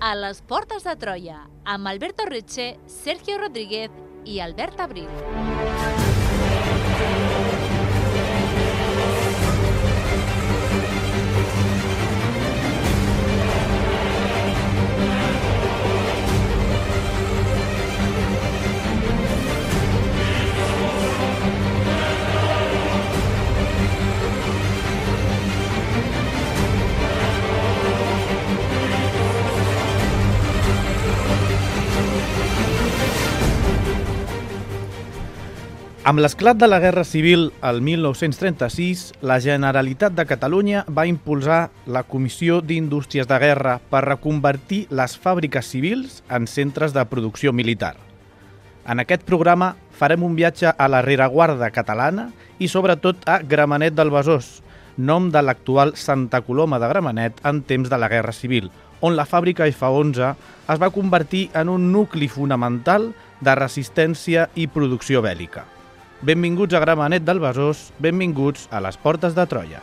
a les Portes de Troia, amb Alberto Riche, Sergio Rodríguez i Albert Abril. Amb l'esclat de la Guerra Civil el 1936, la Generalitat de Catalunya va impulsar la Comissió d'Indústries de Guerra per reconvertir les fàbriques civils en centres de producció militar. En aquest programa farem un viatge a la rereguarda catalana i sobretot a Gramenet del Besòs, nom de l'actual Santa Coloma de Gramenet en temps de la Guerra Civil, on la fàbrica F11 es va convertir en un nucli fonamental de resistència i producció bèl·lica. Benvinguts a Gramenet del Besòs, benvinguts a les Portes de Troia.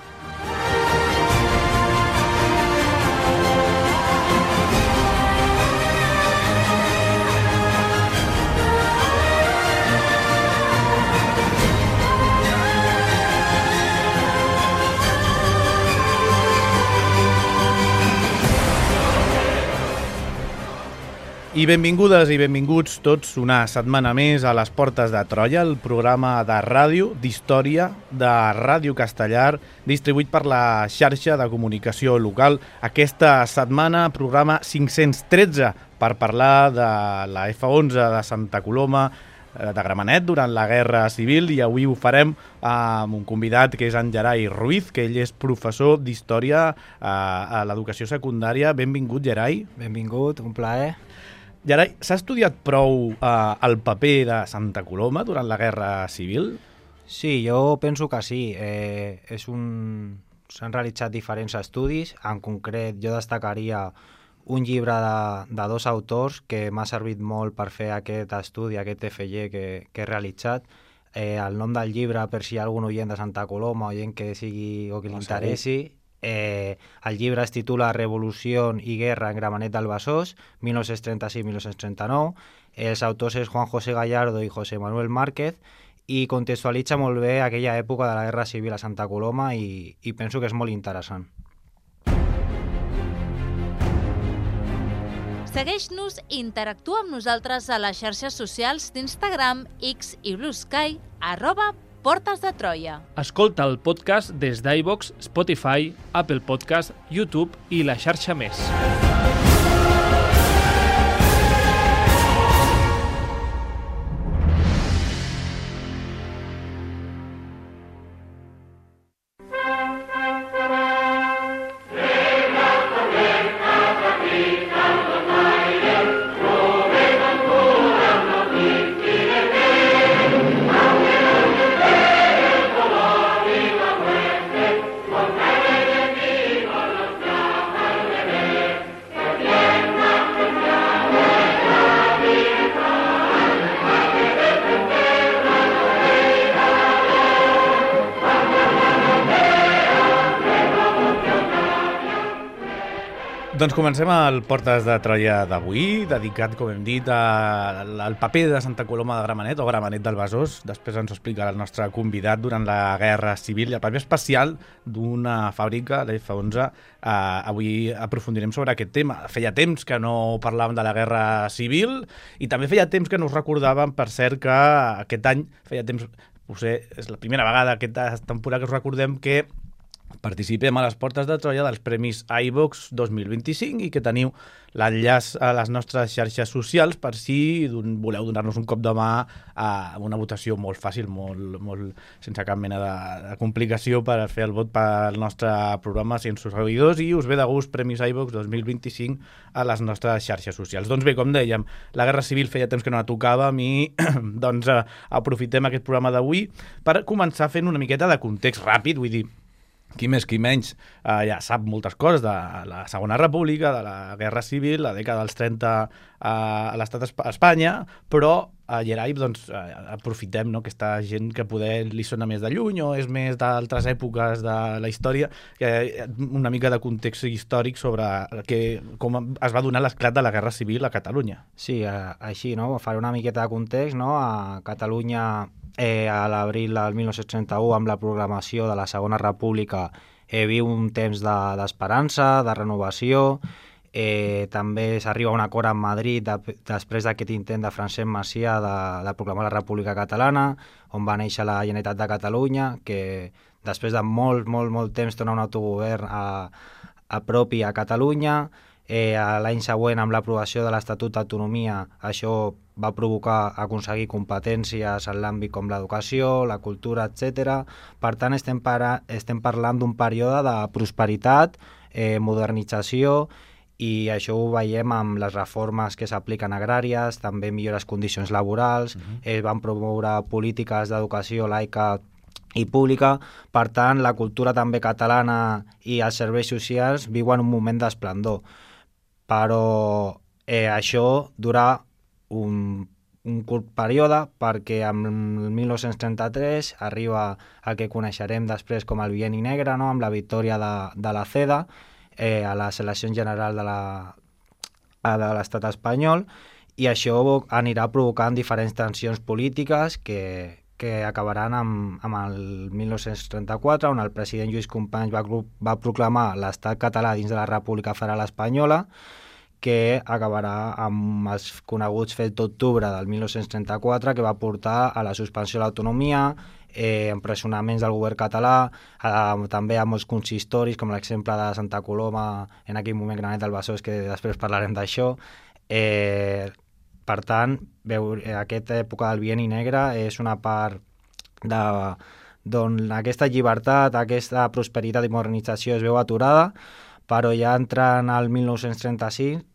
I benvingudes i benvinguts tots una setmana més a les Portes de Troia, el programa de ràdio, d'història, de Ràdio Castellar, distribuït per la xarxa de comunicació local. Aquesta setmana, programa 513, per parlar de la F11 de Santa Coloma de Gramenet durant la Guerra Civil, i avui ho farem amb un convidat que és en Gerai Ruiz, que ell és professor d'història a l'educació secundària. Benvingut, Gerai. Benvingut, un plaer. Gerai, s'ha estudiat prou el paper de Santa Coloma durant la Guerra Civil? Sí, jo penso que sí. S'han realitzat diferents estudis. En concret, jo destacaria un llibre de dos autors que m'ha servit molt per fer aquest estudi, aquest FG que he realitzat. El nom del llibre, per si hi ha algun oient de Santa Coloma, oient que sigui o que li interessi, el llibre es titula Revolució i Guerra en Gramenet del Besòs, 1936-1939. Els autors és Juan José Gallardo i José Manuel Márquez, i contextualitza molt bé aquella època de la Guerra Civil a Santa Coloma i penso que és molt interessant. Segueix-nos i interactua amb nosaltres a les xarxes socials d'Instagram, X i Blue Sky, @Portes de Troia. Escolta el podcast des d'iVoox, Spotify, Apple Podcast, YouTube i la xarxa més. Doncs comencem el Portes de Troia d'avui, dedicat, com hem dit, al paper de Santa Coloma de Gramenet, o Gramenet del Besòs. Després ens ho explicarà el nostre convidat durant la Guerra Civil i el paper especial d'una fàbrica, la F11. Avui aprofundirem sobre aquest tema. Feia temps que no parlàvem de la Guerra Civil i també feia temps que no us recordàvem, per cert, que aquest any, feia temps, potser és la primera vegada aquesta temporada que us recordem que participem a les Portes de Troia dels Premis iVox 2025 i que teniu l'enllaç a les nostres xarxes socials per si voleu donar-nos un cop de mà a una votació molt fàcil, molt sense cap mena de complicació per fer el vot pel nostre programa sense seguidors, i us ve de gust Premis iVox 2025 a les nostres xarxes socials. Doncs bé, com dèiem, la Guerra Civil feia temps que no la tocàvem i doncs aprofitem aquest programa d'avui per començar fent una miqueta de context ràpid, vull dir, qui més, qui menys, ja sap moltes coses de la Segona República, de la Guerra Civil, la dècada dels 30 a l'estat Espanya, però a Gerai doncs, aprofitem, no?, aquesta gent que poder li sona més de lluny o és més d'altres èpoques de la història, una mica de context històric sobre com es va donar l'esclat de la Guerra Civil a Catalunya. Sí, així, no? Faré una miqueta de context, no? A Catalunya, a l'abril del 1931, amb la proclamació de la Segona República, viu un temps d'esperança, de renovació. També s'arriba a un acord amb Madrid després d'aquest intent de Francesc Macià de proclamar la República Catalana, on va néixer la Generalitat de Catalunya, que després de molt temps torna un autogovern a propi a Catalunya. L'any següent, amb l'aprovació de l'Estatut d'Autonomia, això va provocar aconseguir competències en l'àmbit com l'educació, la cultura, etc. Per tant, estem parlant d'un període de prosperitat, modernització, i això ho veiem amb les reformes que s'apliquen agràries, també millores condicions laborals, van promoure polítiques d'educació laica i pública. Per tant, la cultura també catalana i els serveis socials viuen un moment d'esplendor. Però això durà un curt període, perquè en 1933 arriba el que coneixerem després com el Bienni Negre, no?, amb la victòria de la CEDA a les eleccions generals de l'estat espanyol, i això anirà provocant diferents tensions polítiques que acabaran amb el 1934, on el president Lluís Companys va proclamar l'estat català dins de la República Federal Espanyola, que acabarà amb els coneguts fets d'octubre del 1934, que va portar a la suspensió de l'autonomia, empresonaments del govern català, també a molts consistoris, com l'exemple de Santa Coloma, en aquell moment Granet del Besòs, que després parlarem d'això. Per tant, aquesta època del Bienni Negre és una part d'on aquesta llibertat, aquesta prosperitat i modernització es veu aturada, però ja entrant al 1936,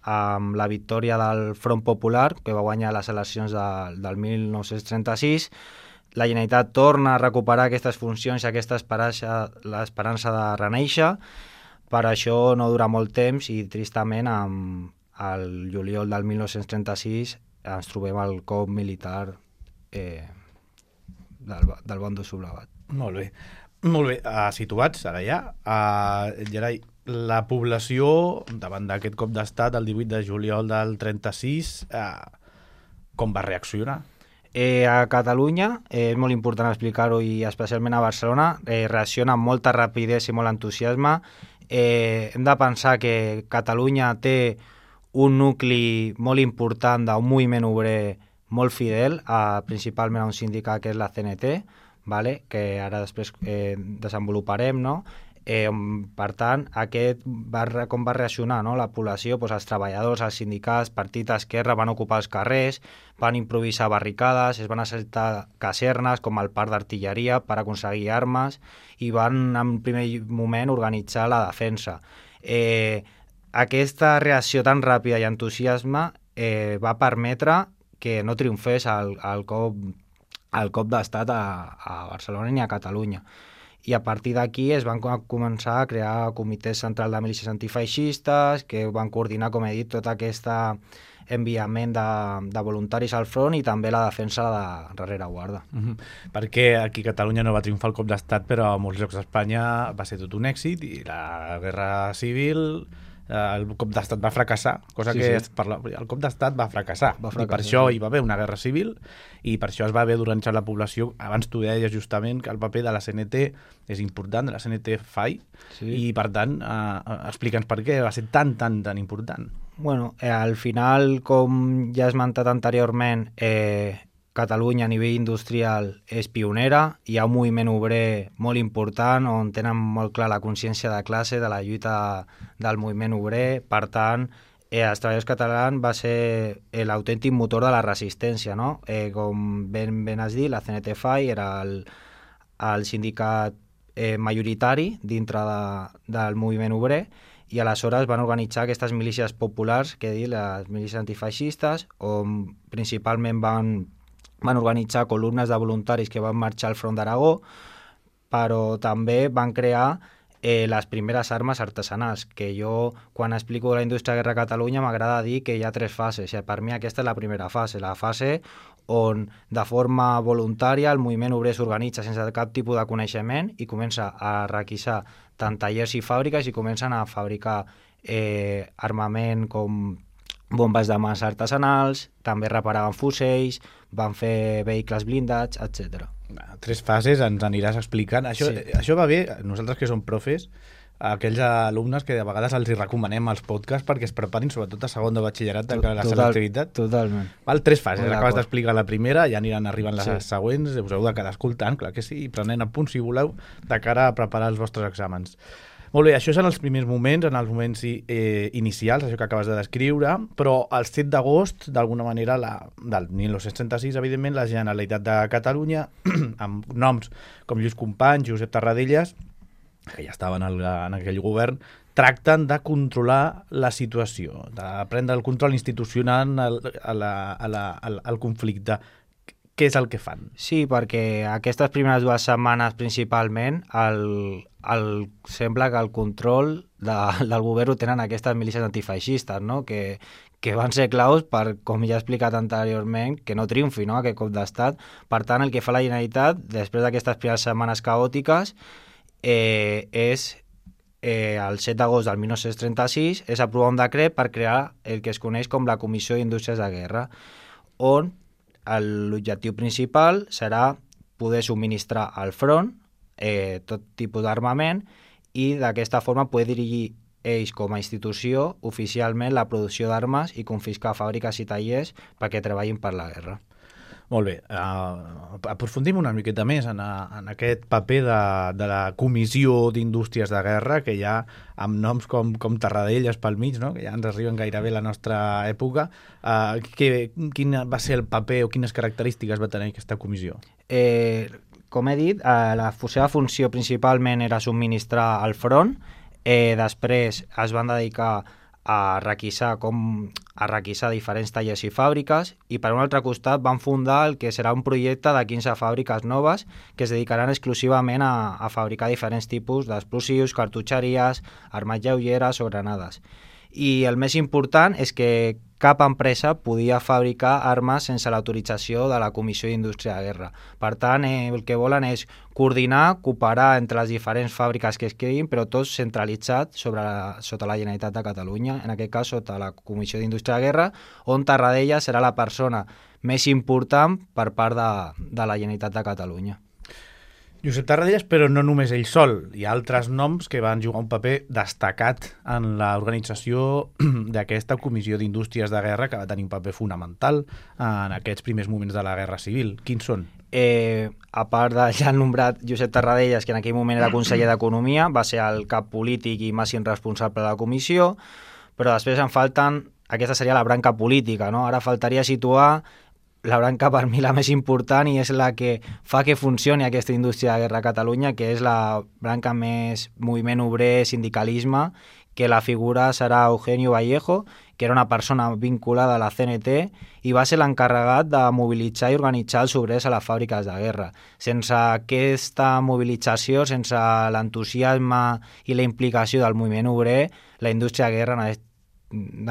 amb la victòria del Front Popular, que va guanyar les eleccions del 1936, la Generalitat torna a recuperar aquestes funcions i aquesta l'esperança de renéixer. Per això no dura molt temps i, tristament, al juliol del 1936 ens trobem el cop militar del bàndol sublevat. Molt bé. Molt bé, situats ara ja, Gerai, la població, davant d'aquest cop d'estat el 18 de juliol del 36, com va reaccionar? A Catalunya, és molt important explicar-ho, i especialment a Barcelona, reacciona amb molta rapidesa i molt entusiasme. Hem de pensar que Catalunya té un nucli molt important d'un moviment obrer molt fidel, principalment a un sindicat que és la CNT, vale? Que ara després desenvoluparem, no? Per tant, com va reaccionar, no?, la població? Doncs els treballadors, els sindicats, partits d'esquerra van ocupar els carrers, van improvisar barricades, es van assaltar casernes com el parc d'artilleria per aconseguir armes i van en primer moment organitzar la defensa. Aquesta reacció tan ràpida i entusiasme va permetre que no triomfés el cop d'estat a Barcelona ni a Catalunya. I a partir d'aquí es van començar a crear comitès central de milícies antifeixistes que van coordinar, com he dit, tot aquest enviament de voluntaris al front i també la defensa de rereguarda. Perquè aquí a Catalunya no va triomfar el cop d'estat, però a molts llocs d'Espanya va ser tot un èxit i la Guerra Civil... el cop d'estat va fracassar, cosa que el cop d'estat va fracassar, i per això hi va haver una guerra civil i per això es va haver d'organitzar la població. Abans tu deies justament que el paper de la CNT és important, de la CNT-FAI, i per tant explica'ns per què va ser tan important. Bueno, al final, com ja he esmentat anteriorment, Catalunya a nivell industrial és pionera, hi ha un moviment obrer molt important on tenen molt clar la consciència de classe, de la lluita del moviment obrer. Per tant, els treballadors catalans va ser l'autèntic motor de la resistència, no? Com ben has dit, la CNT-FAI era el sindicat majoritari dintre del moviment obrer, i aleshores van organitzar aquestes milícies populars, que he dit, les milícies antifeixistes, on principalment van organitzar columnes de voluntaris que van marxar al front d'Aragó, però també van crear les primeres armes artesanals, que jo, quan explico la indústria de guerra a Catalunya, m'agrada dir que hi ha 3 fases. Per mi aquesta és la primera fase, la fase on de forma voluntària el moviment obrer s'organitza sense cap tipus de coneixement i comença a requisar tant tallers i fàbriques i comencen a fabricar armament com bombes de massa artesanals, també reparaven fusells, van fer vehicles blindats, etc. 3 fases, ens aniràs explicant. Això va bé, nosaltres que som profes, aquells alumnes que de vegades els hi recomanem els podcasts perquè es preparin, sobretot a segon de batxillerat, de la selectivitat. Totalment. 3 fases, acabes d'explicar la primera, ja aniran arribant les següents, us heu de quedar escoltant, clar que sí, i prenent apunts si voleu, de cara a preparar els vostres exàmens. Molt bé, això és en els primers moments, en els moments inicials, això que acabes de descriure, però el 7 d'agost, d'alguna manera, del 1936, evidentment, la Generalitat de Catalunya, amb noms com Lluís Companys, Josep Tarradellas, que ja estaven en aquell govern, tracten de controlar la situació, de prendre el control institucional al conflicte. Què és el que fan? Sí, perquè aquestes primeres 2 setmanes principalment sembla que el control del govern ho tenen aquestes milícies antifeixistes, no? que van ser claus per, com ja he explicat anteriorment, que no triomfi, no? Aquest cop d'estat. Per tant, el que fa la Generalitat, després d'aquestes primeres setmanes caòtiques, és el 7 d'agost del 1936 és aprovar un decret per crear el que es coneix com la Comissió d'Indústries de Guerra, on l'objectiu principal serà poder subministrar al front tot tipus d'armament i d'aquesta forma poder dirigir ells com a institució oficialment la producció d'armes i confiscar fàbriques i tallers perquè treballin per la guerra. Molt bé, aprofundim una miqueta més en aquest paper de la Comissió d'Indústries de Guerra, que ja amb noms com Tarradellas pel mig, no? Que ja ens arriben gairebé a la nostra època. Quin va ser el paper o quines característiques va tenir aquesta comissió? Com he dit, la seva funció principalment era subministrar al front, després es van dedicar a requisar diferents tallers i fàbriques i per un altre costat van fundar el que serà un projecte de 15 fàbriques noves que es dedicaran exclusivament a fabricar diferents tipus d'explosius, cartutxeries, armes lleugeres o granades. I el més important és que cap empresa podia fabricar armes sense l'autorització de la Comissió d'Indústria de Guerra. Per tant, el que volen és coordinar, cooperar entre les diferents fàbriques que es creïn, però tot centralitzat sota la Generalitat de Catalunya, en aquest cas sota la Comissió d'Indústria de Guerra, on Tarradellas serà la persona més important per part de la Generalitat de Catalunya. Josep Tarradellas, però no només ell sol. Hi ha altres noms que van jugar un paper destacat en l'organització d'aquesta Comissió d'Indústries de Guerra, que va tenir un paper fonamental en aquests primers moments de la Guerra Civil. Quins són? A part de ja nombrat Josep Tarradellas, que en aquell moment era conseller d'Economia, va ser el cap polític i màxim responsable de la comissió, però després en falten, aquesta seria la branca política, no? Ara faltaria situar la branca per mi la més important i és la que fa que funcioni aquesta indústria de guerra a Catalunya, que és la branca més moviment obrer, sindicalisme, que la figura serà Eugenio Vallejo, que era una persona vinculada a la CNT i va ser l'encarregat de mobilitzar i organitzar els obrers a les fàbriques de guerra. Sense aquesta mobilització, sense l'entusiasme i la implicació del moviment obrer, la indústria de guerra no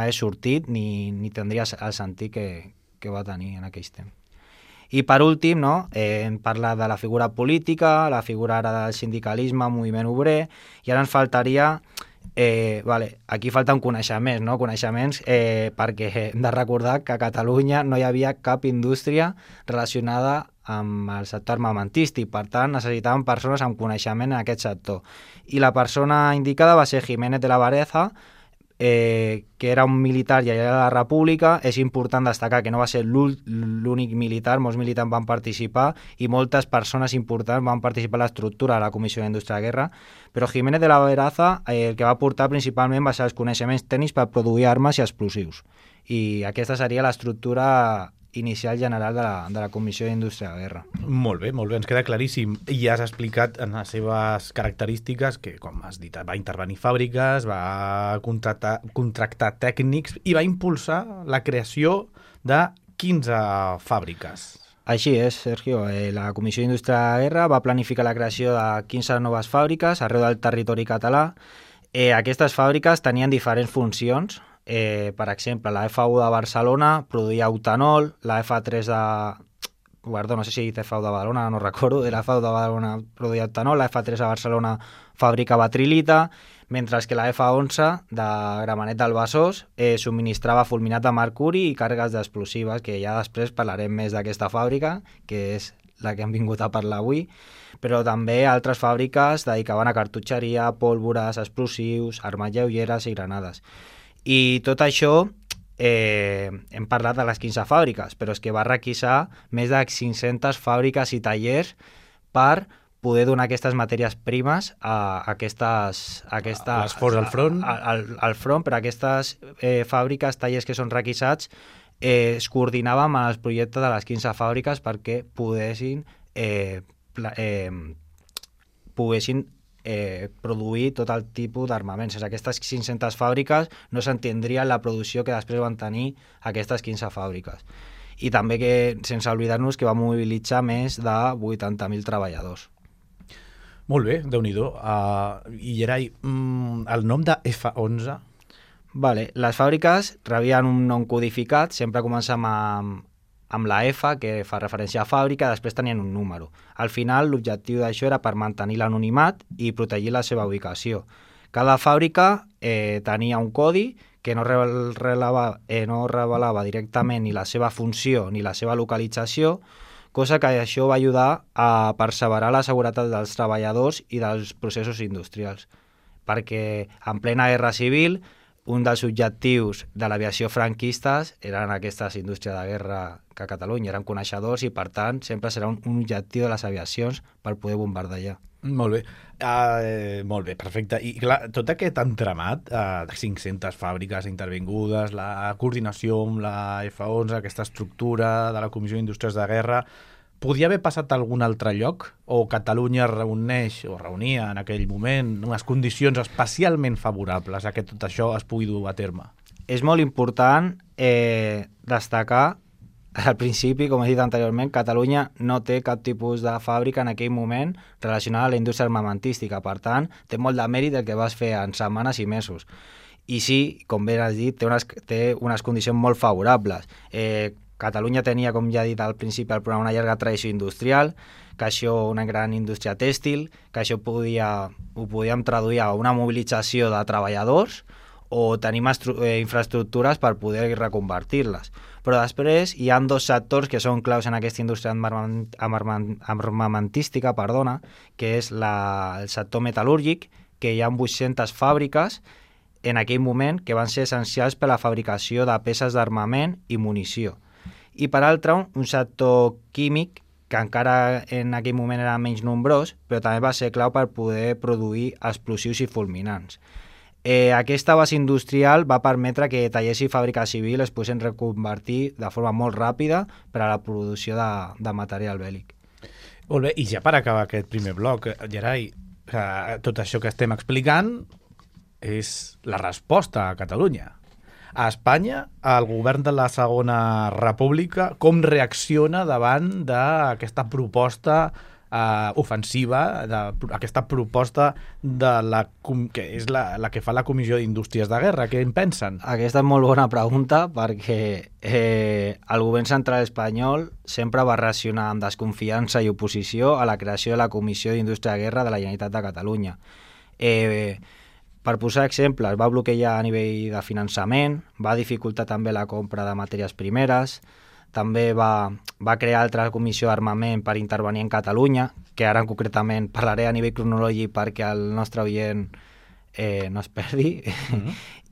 hagués sortit ni tindria el sentit que va tenir en aquells temps. I per últim, no, hem parlat de la figura política, la figura ara del sindicalisme, moviment obrer, i ara ens faltaria, aquí falten coneixements, no? Coneixements perquè hem de recordar que a Catalunya no hi havia cap indústria relacionada amb el sector armamentístic, per tant necessitàvem persones amb coneixement en aquest sector. I la persona indicada va ser Jiménez de la Vareza, que era un militar i allà a la República. És important destacar que no va ser l'únic militar, molts militars van participar i moltes persones importants van participar a l'estructura de la Comissió d'Indústria de Guerra, però Jiménez de la Vareza el que va aportar principalment va ser els coneixements tècnics per produir armes i explosius, i aquesta seria l'estructura inicial general de la Comissió d'Indústria de Guerra. Molt bé, ens queda claríssim. I ja has explicat en les seves característiques que, com has dit, va intervenir fàbriques, va contractar tècnics i va impulsar la creació de 15 fàbriques. Així és, Sergio. La Comissió d'Indústria de la Guerra va planificar la creació de 15 noves fàbriques arreu del territori català. Aquestes fàbriques tenien diferents funcions. Per exemple, la F1 de Barcelona produïa eutanol, la F3 de... Perdó, no sé si F1 de Badalona, no recordo, la F1 de Badalona produïa eutanol, la F3 de Barcelona fabricava trilita, mentre que la F11 de Gramenet del Besòs subministrava fulminat de mercuri i càrregues d'explosives, que ja després parlarem més d'aquesta fàbrica, que és la que hem vingut a parlar avui, però també altres fàbriques dedicaven a cartutxeria, pólvores, explosius, armes lleugeres i granades. I tot això hem parlat de les 15 fàbriques, però és que va requisar més de 500 fàbriques i tallers per poder donar aquestes matèries primes a l'esforç al front. Al front, però aquestes fàbriques, tallers que són requisats, es coordinaven amb els projectes de les 15 fàbriques perquè poguessin produir tot el tipus d'armaments. Aquestes 500 fàbriques no s'entendrien la producció que després van tenir aquestes 15 fàbriques. I també que, sense oblidar-nos, que va mobilitzar més de 80.000 treballadors. Molt bé, Déu-n'hi-do. I Gerai, el nom de F11? Vale, les fàbriques rebien un nom codificat, sempre comencem amb la F, que fa referència a fàbrica, després tenien un número. Al final, l'objectiu d'això era per mantenir l'anonimat i protegir la seva ubicació. Cada fàbrica tenia un codi que no revelava directament ni la seva funció ni la seva localització, cosa que això va ajudar a perseverar la seguretat dels treballadors i dels processos industrials. Perquè en plena guerra civil, un dels objectius de l'aviació franquistes eren aquestes indústries de guerra que a Catalunya eren coneixedors i, per tant, sempre serà un objectiu de les aviacions per poder bombardejar. Molt bé. Molt bé, perfecte. I clar, tot aquest entramat de 500 fàbriques intervingudes, la coordinació amb la F11, aquesta estructura de la Comissió d'Indústries de Guerra, podia haver passat a algun altre lloc? O Catalunya reunia en aquell moment unes condicions especialment favorables a que tot això es pugui dur a terme? És molt important destacar al principi, com he dit anteriorment, Catalunya no té cap tipus de fàbrica en aquell moment relacionada a la indústria armamentística. Per tant, té molt de mèrit el que vas fer en setmanes i mesos. I sí, com bé has dit, té unes condicions molt favorables. Catalunya tenia, com ja he dit al principi del programa, una llarga tradició industrial, que això, una gran indústria tèxtil, que això ho podíem traduir a una mobilització de treballadors o tenim infraestructures per poder reconvertir-les. Però després hi ha dos sectors que són claus en aquesta indústria armamentística, que és el sector metal·lúrgic, que hi ha 800 fàbriques en aquell moment que van ser essencials per a la fabricació de peces d'armament i munició. I per altra, un sector químic, que encara en aquell moment era menys nombrós, però també va ser clau per poder produir explosius i fulminants. Aquesta base industrial va permetre que tallers i fàbriques civils es poguessin reconvertir de forma molt ràpida per a la producció de material bèl·lic. Molt bé, i ja per acabar aquest primer bloc, Gerai, tot això que estem explicant és la resposta a Catalunya. A Espanya, el govern de la Segona República, com reacciona davant d'aquesta proposta ofensiva, aquesta proposta que és la que fa la Comissió d'Indústries de Guerra? Què en pensen? Aquesta és molt bona pregunta, perquè el govern central espanyol sempre va reaccionar amb desconfiança i oposició a la creació de la Comissió d'Indústria de Guerra de la Generalitat de Catalunya. Per posar exemples, va bloquejar a nivell de finançament, va dificultar també la compra de matèries primeres, també va crear altra comissió d'armament per intervenir en Catalunya, que ara concretament parlaré a nivell cronològic perquè el nostre oient no es perdi,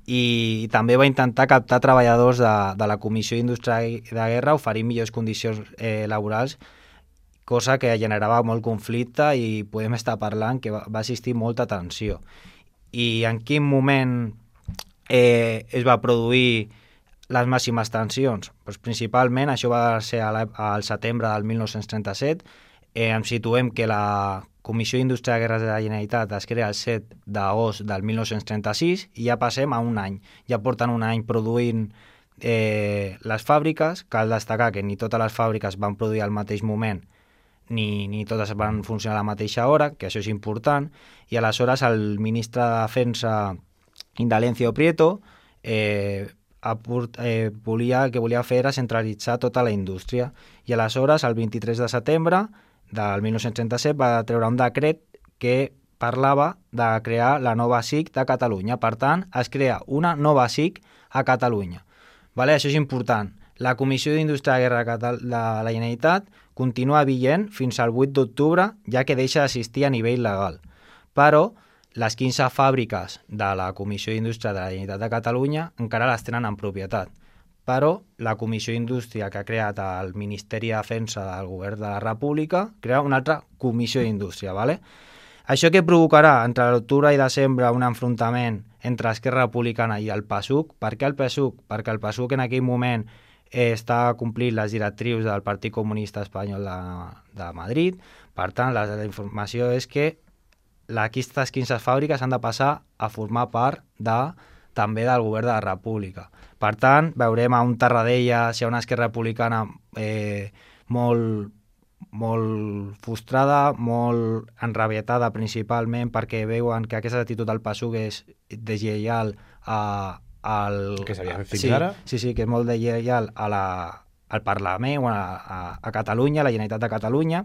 i també va intentar captar treballadors de la Comissió d'Indústria de Guerra, oferir millors condicions laborals, cosa que generava molt conflicte i podem estar parlant que va existir molta tensió. I en quin moment es va produir les màximes tensions? Doncs principalment això va ser al setembre del 1937. Ens situem que la Comissió d'Indústria de Guerra de la Generalitat es crea el 7 d'agost del 1936 i ja passem a un any. Ja porten un any produint les fàbriques, cal destacar que ni totes les fàbriques van produir al mateix moment ni totes van funcionar a la mateixa hora, que això és important, i aleshores el ministre de Defensa, Indalencio Prieto, volia fer era centralitzar tota la indústria. I aleshores, el 23 de setembre del 1937, va treure un decret que parlava de crear la nova SIC de Catalunya. Per tant, es crea una nova SIC a Catalunya. Vale? Això és important. La Comissió d'Indústria de Guerra de la Generalitat continua vigent fins al 8 d'octubre, ja que deixa d'assistir a nivell legal. Però les 15 fàbriques de la Comissió d'Indústria de la Generalitat de Catalunya encara les tenen en propietat. Però la Comissió d'Indústria que ha creat el Ministeri de Defensa del Govern de la República crea una altra Comissió d'Indústria. ¿Vale? Això que provocarà entre l'octubre i desembre un enfrontament entre Esquerra Republicana i el PASUC. Per què el PASUC? Perquè el PASUC en aquell moment està complint les directrius del Partit Comunista Espanyol de Madrid. Per tant, la informació és que aquestes 15 fàbriques han de passar a formar part també del govern de la República. Per tant, veurem a un Tarradellas i a una Esquerra Republicana molt frustrada, molt enrabietada principalment perquè veuen que aquesta actitud del PASUC és deslleial que s'havia fet fins ara? Sí, que és molt deslleial al Parlament, a Catalunya, a la Generalitat de Catalunya.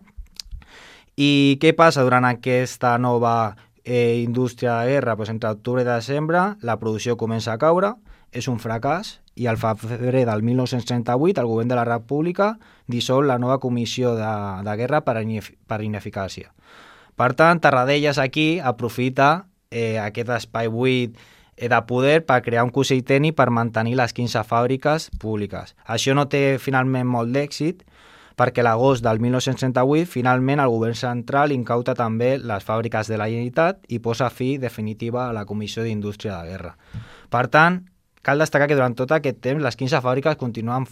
I què passa durant aquesta nova indústria de guerra? Pues entre octubre i desembre la producció comença a caure, és un fracàs, i al febrer del 1938 el govern de la República dissol la nova comissió de guerra per ineficàcia. Per tant, Tarradellas aquí aprofita aquest espai buit de poder per crear un consell tècnic per mantenir les 15 fàbriques públiques. Això no té finalment molt d'èxit, perquè l'agost del 1938 finalment el govern central incauta també les fàbriques de la Generalitat i posa fi definitiva a la Comissió d'Indústria de Guerra. Per tant, cal destacar que durant tot aquest temps les 15 fàbriques continuen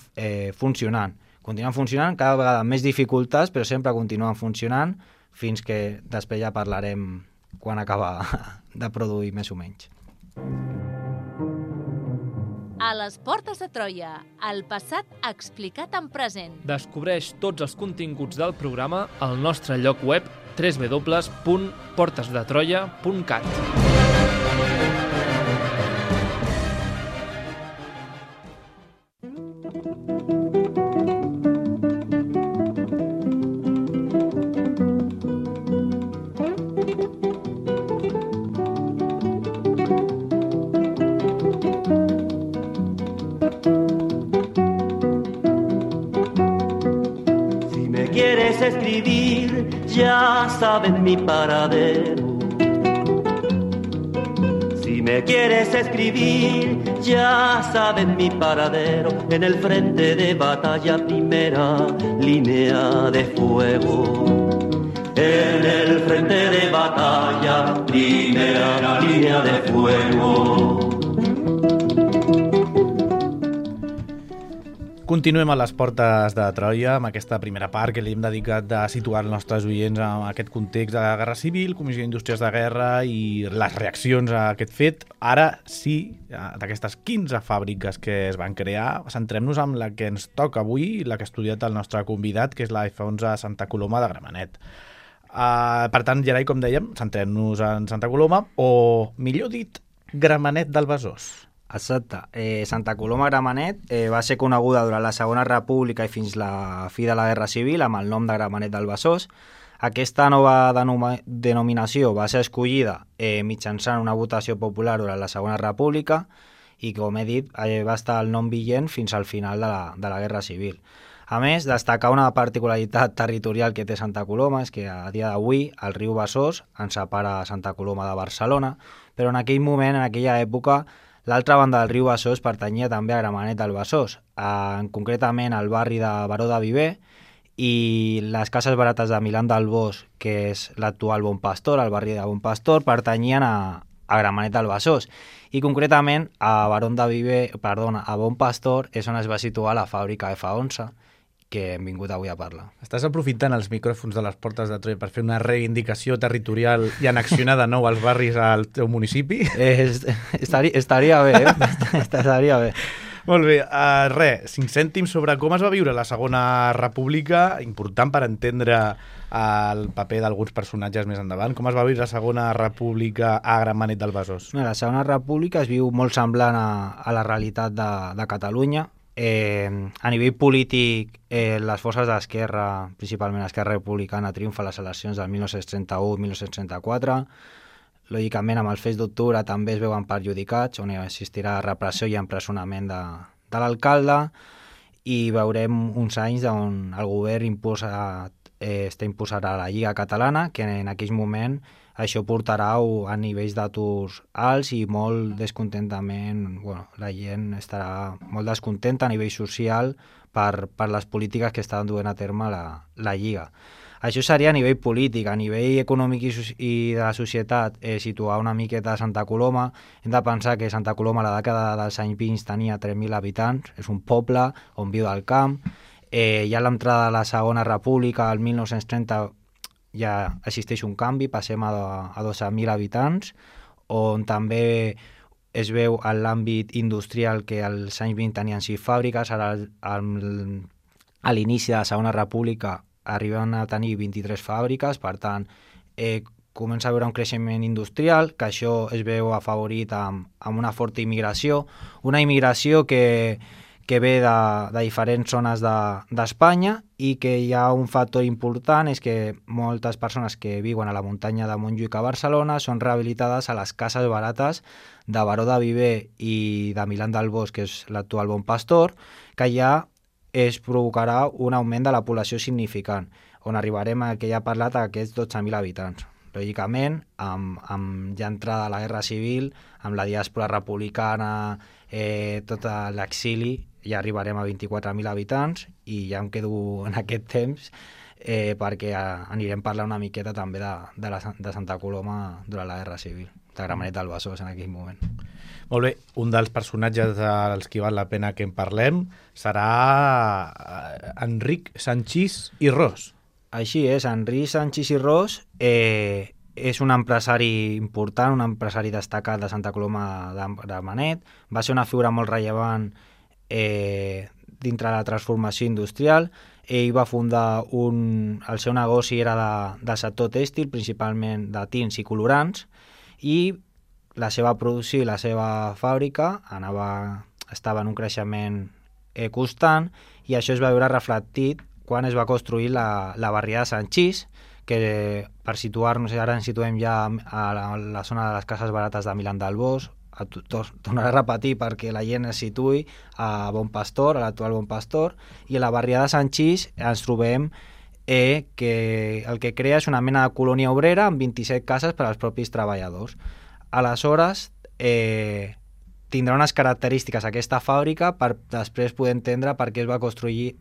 funcionant. Continuen funcionant, cada vegada amb més dificultats, però sempre continuen funcionant, fins que després ja parlarem quan acaba de produir més o menys. A les portes de Troia, el passat explicat en present. Descobreix tots els continguts del programa al nostre lloc web www.portesdetroia.cat. Ya saben mi paradero. Si me quieres escribir, ya saben mi paradero. En el frente de batalla, primera línea de fuego. En el frente de batalla, primera línea de fuego. Continuem a les portes de Troia amb aquesta primera part que li hem dedicat de situar els nostres oients en aquest context de la Guerra Civil, Comissió d'Indústries de Guerra i les reaccions a aquest fet. Ara sí, d'aquestes 15 fàbriques que es van crear, centrem-nos en la que ens toca avui, la que ha estudiat el nostre convidat, que és la F11 Santa Coloma de Gramenet. Per tant, Gerai, com dèiem, centrem-nos en Santa Coloma, o millor dit, Gramenet del Besòs. Exacte. Santa Coloma Gramenet va ser coneguda durant la Segona República i fins la fi de la Guerra Civil amb el nom de Gramenet del Besòs. Aquesta nova denominació va ser escollida mitjançant una votació popular durant la Segona República i, com he dit, va estar el nom vigent fins al final de la Guerra Civil. A més, destacar una particularitat territorial que té Santa Coloma és que a dia d'avui el riu Besòs en separa Santa Coloma de Barcelona, però en aquell moment, en aquella època, l'altra banda del riu Besòs pertanyia també a Gramenet del Besòs, concretament al barri de Baró de Viver, i les cases barates de Milán del Bosch, que és l'actual Bon Pastor, el barri de Bon Pastor, pertanyien a Gramenet del Besòs. I concretament a Bon Pastor és on es va situar la fàbrica F11, que hem vingut avui a parlar. Estàs aprofitant els micròfons de les portes de Troia per fer una reivindicació territorial i annexionar de nou els barris al teu municipi? Estaria bé, estaria bé. Molt bé, 5 cèntims sobre com es va viure la Segona República, important per entendre el paper d'alguns personatges més endavant. Com es va viure la Segona República a Gramenet del Besòs? La Segona República es viu molt semblant a la realitat de Catalunya. A nivell polític, les forces d'esquerra, principalment Esquerra Republicana, triomfa a les eleccions del 1931-1934. Lògicament, amb els fets d'octubre també es veuen perjudicats, on existirà repressió i empresonament de l'alcalde, i veurem uns anys on el govern imposarà la Lliga Catalana, que en aquell moment això portarà a nivells d'aturs alts i molt descontentament. La gent estarà molt descontenta a nivell social per les polítiques que estan duent a terme la Lliga. Això seria a nivell polític. A nivell econòmic i de la societat, situar una miqueta a Santa Coloma. Hem de pensar que Santa Coloma a la dècada dels anys 20 tenia 3.000 habitants, és un poble on viu del camp. Ja a l'entrada de la Segona República, el 1930, ja existeix un canvi, passem a 12.000 habitants, on també es veu en l'àmbit industrial que als anys 20 tenien 6 fàbriques, ara a l'inici de la Segona República arriben a tenir 23 fàbriques, per tant, comença a haver un creixement industrial, que això es veu afavorit amb una forta immigració, una immigració que ve de diferents zones d'Espanya, i que hi ha un factor important, és que moltes persones que viuen a la muntanya de Montjuïc a Barcelona són rehabilitades a les cases barates de Baró de Viver i de Milán del Bosch, que és l'actual Bon Pastor, que ja es provocarà un augment de la població significant, on arribarem a que ja ha parlat a aquests 12.000 habitants. Lògicament, amb ja entrada a la Guerra Civil, amb la diàspora republicana, tot l'exili, ja arribarem a 24.000 habitants, i ja em quedo en aquest temps perquè anirem parlant una miqueta també de Santa Coloma durant la Guerra Civil, de Gramenet del Besòs en aquell moment. Molt bé, un dels personatges dels que val la pena que en parlem serà Enric Sanchís i Ros. Així és, Enric Sanchís i Ros és un empresari important, un empresari destacat de Santa Coloma de Gramenet. Va ser una figura molt rellevant dintre la transformació industrial. Ell va fundar el seu negoci era de sector tèxtil, principalment de tints i colorants, i la seva producció i la seva fàbrica estava en un creixement constant, i això es va veure reflectit quan es va construir la barriada de Sanchís, que per situar-nos, ara ens situem ja a la zona de les cases barates de Milán del Bosch. Tornaré a repetir perquè la gent es situï a Bon Pastor, a l'actual Bon Pastor, i a la barriada de Sanchís ens trobem que el que crea és una mena de colònia obrera amb 27 cases per als propis treballadors. Aleshores, tindrà unes característiques aquesta fàbrica per després poder entendre per què es va construir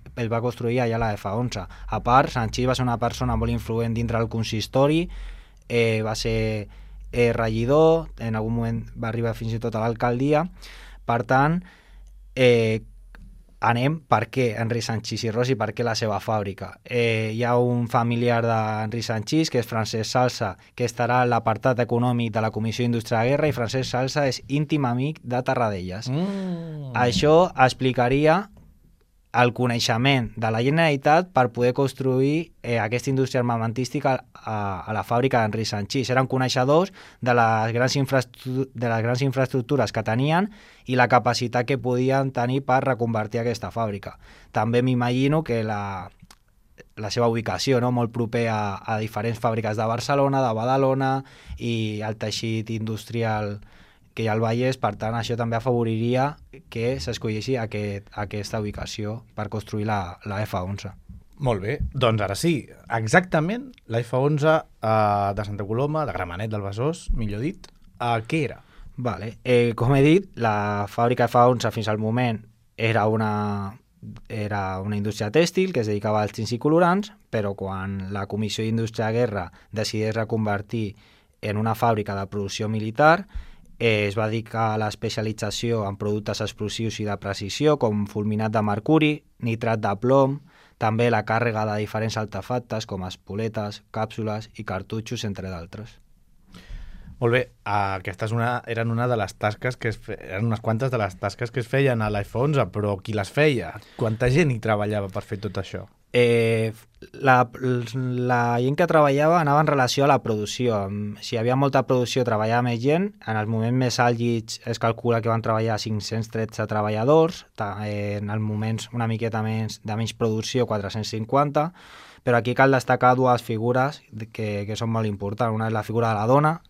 allà la F11. A part, Sanchís va ser una persona molt influent dintre del consistori, va ser regidor, en algun moment va arribar fins i tot a l'alcaldia. Per tant, anem per què Enric Sanchís i Ros i per què la seva fàbrica. Hi ha un familiar d'Enric Sanchís, que és Francesc Salsa, que estarà a l'apartat econòmic de la Comissió d'Indústria de Guerra, i Francesc Salsa és íntim amic de Tarradellas. Això explicaria el coneixement de la Generalitat per poder construir aquesta indústria armamentística a la fàbrica d'Enric Sanchís. Eren coneixedors de les grans infraestructures que tenien i la capacitat que podien tenir per reconvertir aquesta fàbrica. També m'imagino que la seva ubicació, no? Molt proper a diferents fàbriques de Barcelona, de Badalona i el teixit industrial que hi ha al Vallès. Per tant, això també afavoriria que s'escolleixi aquesta ubicació per construir la F11. Molt bé, doncs ara sí, exactament la F11 de Santa Coloma, de Gramenet del Besòs, millor dit, què era? Vale. Com he dit, la fàbrica F11 fins al moment era una indústria tèxtil que es dedicava als tints i colorants, però quan la Comissió d'Indústria de Guerra decideix reconvertir en una fàbrica de producció militar, es va dedicar a l'especialització en productes explosius i de precisió, com fulminat de mercuri, nitrat de plom, també la càrrega de diferents artefactes com espoletes, càpsules i cartutxos, entre d'altres. Molt bé, aquestes eren una de les tasques eren unes quantes de les tasques que es feien a l'F11, però qui les feia? Quanta gent hi treballava per fer tot això? La gent que treballava anava en relació a la producció. Si hi havia molta producció treballava més gent. En els moments més àlgids es calcula que van treballar 513 treballadors, en els moments una miqueta de menys producció 450, però aquí cal destacar dues figures que són molt importants. Una és la figura de la dona,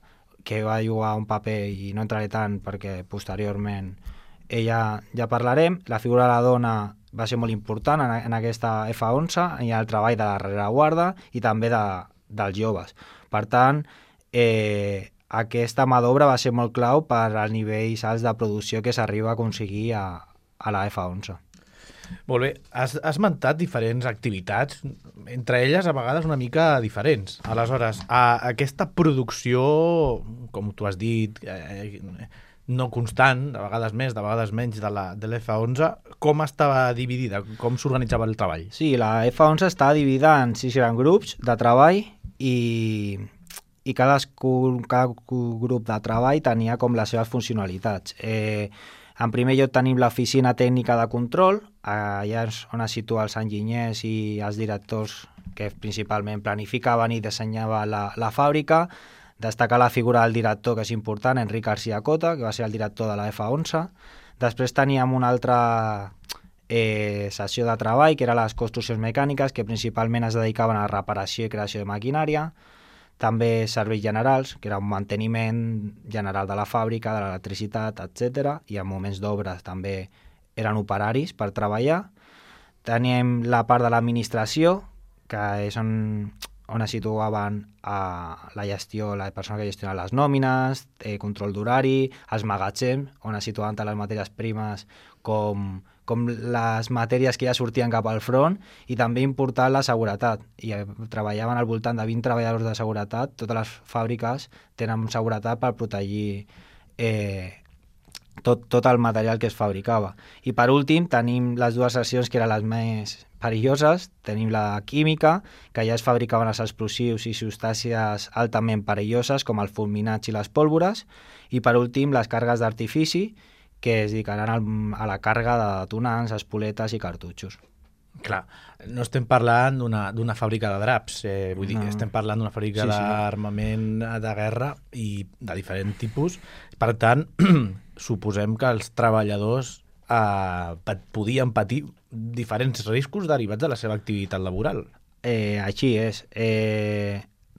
que va jugar un paper, i no entraré tant perquè posteriorment ja parlarem. La figura de la dona va ser molt important en aquesta F11 i el treball de la rereguarda i també dels joves. Per tant, aquesta mà d'obra va ser molt clau per als nivells alts de producció que s'arriba a aconseguir a la F11. Molt bé, has esmentat diferents activitats, entre elles a vegades una mica diferents. Aleshores, aquesta producció, com tu has dit, no constant, de vegades més, de vegades menys, de l'F11, com estava dividida? Com s'organitzava el treball? Sí, la F11 estava dividida en 6 grans grups de treball i cada grup de treball tenia com les seves funcionalitats. En primer lloc tenim l'oficina tècnica de control, allà és on es situa els enginyers i els directors que principalment planificaven i dissenyaven la fàbrica. Destacar la figura del director, que és important, Enric García Cota, que va ser el director de la F11. Després teníem una altra sessió de treball, que eren les construccions mecàniques, que principalment es dedicaven a la reparació i creació de maquinària. També serveis generals, que era un manteniment general de la fàbrica, de l'electricitat, etc. I en moments d'obres també eren operaris per treballar. Teníem la part de l'administració, que és on es situaven la gestió, la persona que gestiona les nòmines, control d'horari, els magatzems, on es situaven tant les matèries primes com les matèries que ja sortien cap al front, i també important la seguretat. I treballaven al voltant de 20 treballadors de seguretat. Totes les fàbriques tenen seguretat per protegir tot el material que es fabricava. I per últim tenim les dues seccions que eren les més perilloses. Tenim la química, que ja es fabricaven els explosius i substàncies altament perilloses com els fulminats i les pólvores. I per últim les càrregues d'artifici, que es dedicaran a la càrrega de detonants, espoletes i cartutxos. Clar, no estem parlant d'una fàbrica de draps, vull dir, estem parlant d'una fàbrica d'armament de guerra i de diferent tipus. Per tant, suposem que els treballadors podien patir diferents riscos derivats de la seva activitat laboral. Així és.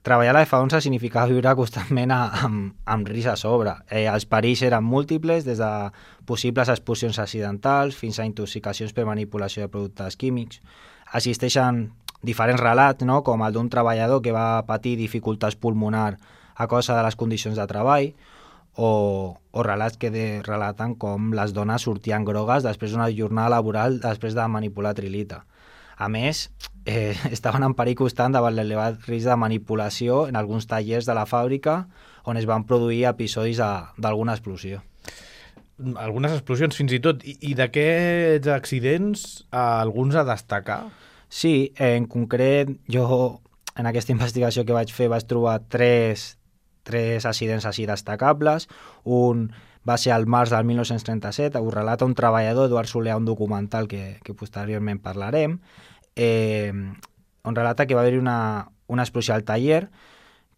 Treballar a la F11 significava viure constantment amb risc a sobre. Els perills eren múltiples, des de possibles explosions accidentals fins a intoxicacions per manipulació de productes químics. Existeixen diferents relats, no?, com el d'un treballador que va patir dificultats pulmonar a causa de les condicions de treball, o relats que relaten com les dones sortien grogues després d'una jornada laboral després de manipular trilita. A més, estaven en perill constant davant l'elevat risc de manipulació en alguns tallers de la fàbrica on es van produir episodis d'alguna explosió. Algunes explosions fins i tot. I d'aquests accidents, alguns a destacar? Sí, en concret, jo en aquesta investigació que vaig fer vaig trobar tres accidents així destacables. Un va ser al març del 1937, ho relata un treballador, Eduard Soler, un documental que posteriorment parlarem, on relata que va haver-hi una explosió al taller,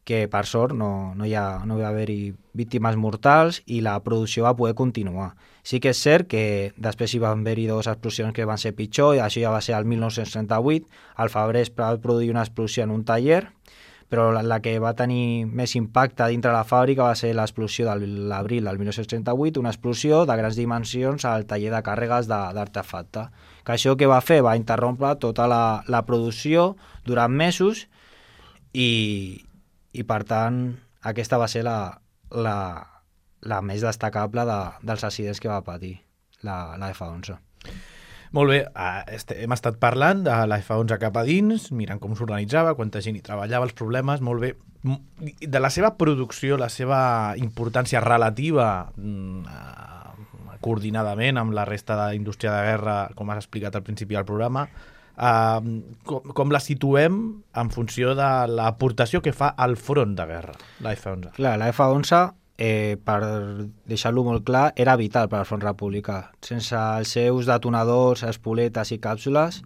que per sort no va haver-hi víctimes mortals i la producció va poder continuar. Sí que és cert que després hi van haver-hi dues explosions que van ser pitjor, i això ja va ser el 1938, al febrer es va produir una explosió en un taller, però la que va tenir més impacte dintre la fàbrica va ser l'explosió de l'abril del 1938, una explosió de grans dimensions al taller de càrregues d'artefacte. Que això que va fer va interrompre tota la producció durant mesos i per tant aquesta va ser la més destacable dels accidents que va patir la F11. Molt bé, hem estat parlant de la F11 cap a dins, mirant com s'organitzava, quanta gent hi treballava, els problemes, molt bé. De la seva producció, la seva importància relativa coordinadament amb la resta d'indústria de guerra, com has explicat al principi del programa, com la situem en funció de l'aportació que fa al front de guerra, la F-11? Clar, la F-11, per deixar-lo molt clar, era vital per al front republicà. Sense els seus detonadors, espoletes i càpsules,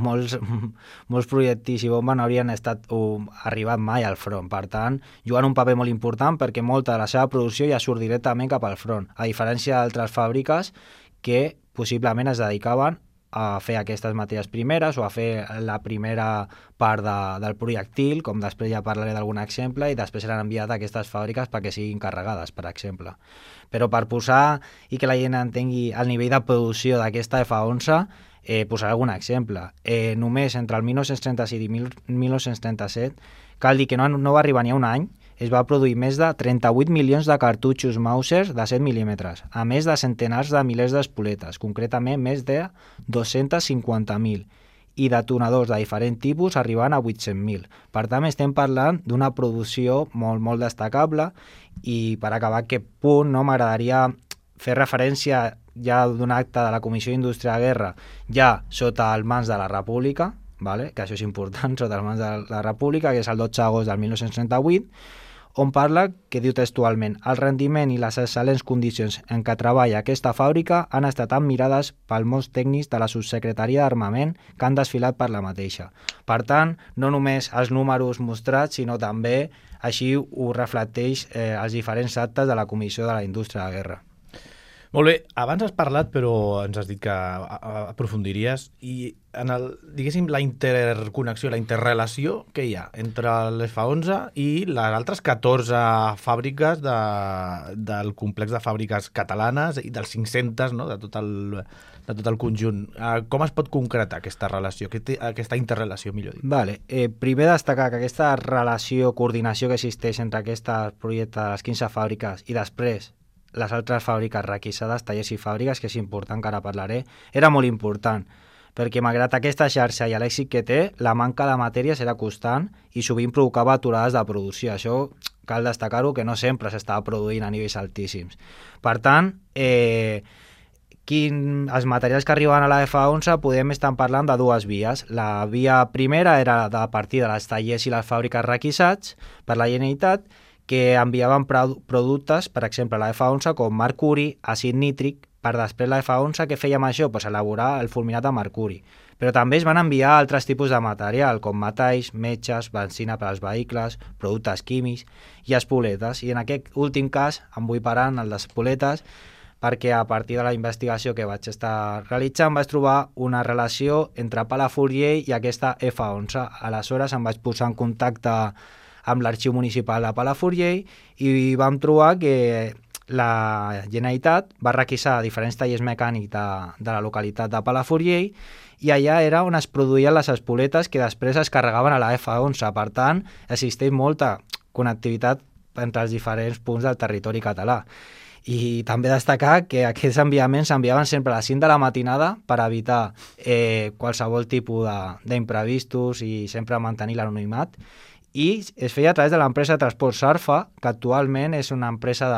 molts projectils i bombes no haurien arribat mai al front. Per tant, juguen un paper molt important perquè molta de la seva producció ja surt directament cap al front, a diferència d'altres fàbriques que possiblement es dedicaven a fer aquestes matèries primeres o a fer la primera part del projectil, com després ja parlaré d'algun exemple, i després seran enviat a aquestes fàbriques perquè siguin carregades, per exemple. Però per posar i que la gent entengui el nivell de producció d'aquesta F-11, posaré algun exemple. Només entre el 1936 i 1937, cal dir que no va arribar ni a un any, es va produir més de 38 milions de cartutxos Mauser de 7 mil·límetres, a més de centenars de milers d'espoletes, concretament més de 250.000, i detonadors de diferent tipus arribant a 800.000. Per tant, estem parlant d'una producció molt, molt destacable, i per acabar aquest punt m'agradaria fer referència ja d'un acte de la Comissió d'Indústria de Guerra, ja sota el mans de la República, vale? Que això és important, sota el mans de la República, que és el 12 d'agost del 1938, on parla que diu textualment: el rendiment i les excel·lents condicions en què treballa aquesta fàbrica han estat admirades pels molts tècnics de la Subsecretaria d'Armament que han desfilat per la mateixa. Per tant, no només els números mostrats, sinó també així ho reflecteix els diferents actes de la Comissió de la Indústria de Guerra. Molt bé, abans has parlat, però ens has dit que aprofundiries, i en diguéssim, la interconnexió, la interrelació que hi ha entre l'F-11 i les altres 14 fàbriques del complex de fàbriques catalanes i dels 500, no?, de tot el conjunt. Com es pot concretar aquesta relació, aquesta interrelació, millor dit? Vale. Primer destacar que aquesta relació, coordinació que existeix entre aquest projecte de les 15 fàbriques i després les altres fàbriques requisades, tallers i fàbriques, que és important, que ara parlaré, era molt important, perquè malgrat aquesta xarxa i l'èxit que té, la manca de matèries era constant i sovint provocava aturades de producció. Això cal destacar-ho, que no sempre s'estava produint a nivells altíssims. Per tant, els materials que arribaven a la F-11 podem estar parlant de dues vies. La via primera era a partir de les tallers i les fàbriques requisats per la Generalitat, que enviaven productes, per exemple, a la F-11, com mercuri, àcid nítric, per després la F-11, que fèiem això? Pues elaborar el fulminat de mercuri. Però també es van enviar altres tipus de material, com metalls, metges, benzina per als vehicles, productes químics i espoletes. I en aquest últim cas em vull parar en el d'espoletes, perquè a partir de la investigació que vaig estar realitzant vaig trobar una relació entre Palafrugell i aquesta F-11. Aleshores em vaig posar en contacte amb l'arxiu municipal de Palafrugell i vam trobar que la Generalitat va requisar diferents tallers mecànics de la localitat de Palafrugell i allà era on es produïen les espoletes que després es carregaven a la F-11. Per tant, existeix molta connectivitat entre els diferents punts del territori català. I també destacar que aquests enviaments s'enviaven sempre a les 5 de la matinada per evitar qualsevol tipus d'imprevistos i sempre mantenir l'anonimat. I es feia a través de l'empresa de transport Sarfa, que actualment és una empresa